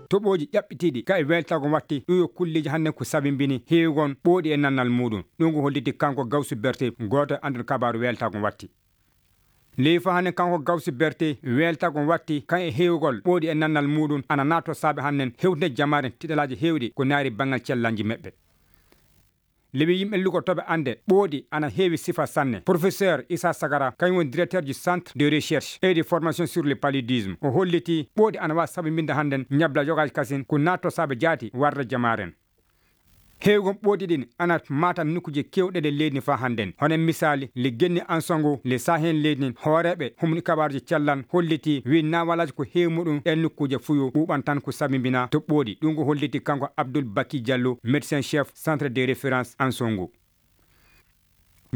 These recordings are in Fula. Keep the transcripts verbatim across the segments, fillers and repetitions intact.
Toɓooji ƴaɓɓitiiɗi ka e weeltaago watti, ɗum yo kulleeji hannden ko sabimbini heewgol ɓooɗi e nannal muuɗum. Ɗum ko holliti kanko Gawsu Berte, gooto e annduɗo kabaaru weeltaago watti. Ley fa hannden kanko Gawsu Berte, weeltaago watti kan e heewgol ɓooɗi e nannal muuɗum, ana naato saabe hannden hewtinde jamaare tiɗalaaji heewɗi ko naari banngal cellal nji meɓɓe. Lewi yimɓe lugotooɓe annde ɓooɗi ana heewi sifa sanne. Professeur Issa Sagara, kañum woni directeur du Centre de Recherche et de Formation sur le Paludisme, o holliti ɓooɗi ana waawi sabimbinde hannden ñabla yogaaji kasin ko naatto saabe jaati warde jamaaren. Heewgol ɓooɗi ɗin ana maata nokkuuje keewɗe e leydi fa hannden. Hono e misaali, le Genni Ansongo, le Sahen leydi ndin, hooreeɓe humni kabaaruji cellal holliti wi naawalaaji ko heewi muɗum e nokkuuje fuyo ɓuuɓan tan ko sabimbina to ɓooɗi. Ɗum ko holliti kanko Abdoul Baki Diallo, médecin chef centre de référence Ansongo.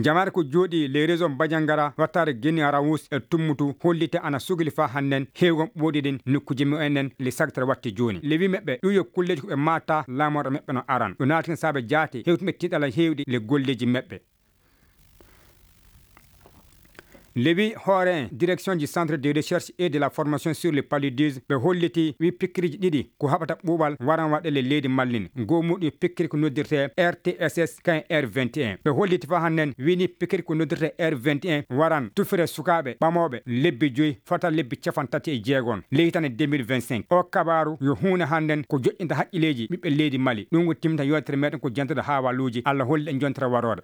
Jamaare ko jooɗi les régions Badiangara, wattaare Guinée Rawus e Tummutu holliti ana sugli fa hannden heewgol ɓooɗi ɗin nokkuuje mumen ɗen le sagtere watti jooni. Le wi meɓɓe ɗum yo kulleeji ko ɓe maata laamorɗo meɓɓe no aran. Ɗo naati saabe jaati hewtuɓe tiɗala heewɗi le golleeji meɓɓe. Le wi hoore en direction du centre de recherche et de la formation sur le paludisme ɓe holliti wi pikkiriji ɗiɗi ko haɓata ɓuuɓal waran waɗe le leydi mallin. Goo muɗum pikkiri ko noddirte R T S S kan R vingt et un. Ɓe holliti fa hannden wini pikkiri ko noddirte R vingt et un waran tufire sukaaɓe ɓamooɓe lebbi joyi fota lebbi capan tati e jeegon le hitande deux mille vingt-cinq. O kabaaru yo huunde hannden ko joƴƴinta haqqilleeji ɓiɓɓe leydi Mali. Ɗum ko timta yewtere meɗen ko jantude haawaaluuji. Allah holli en jontere waroore.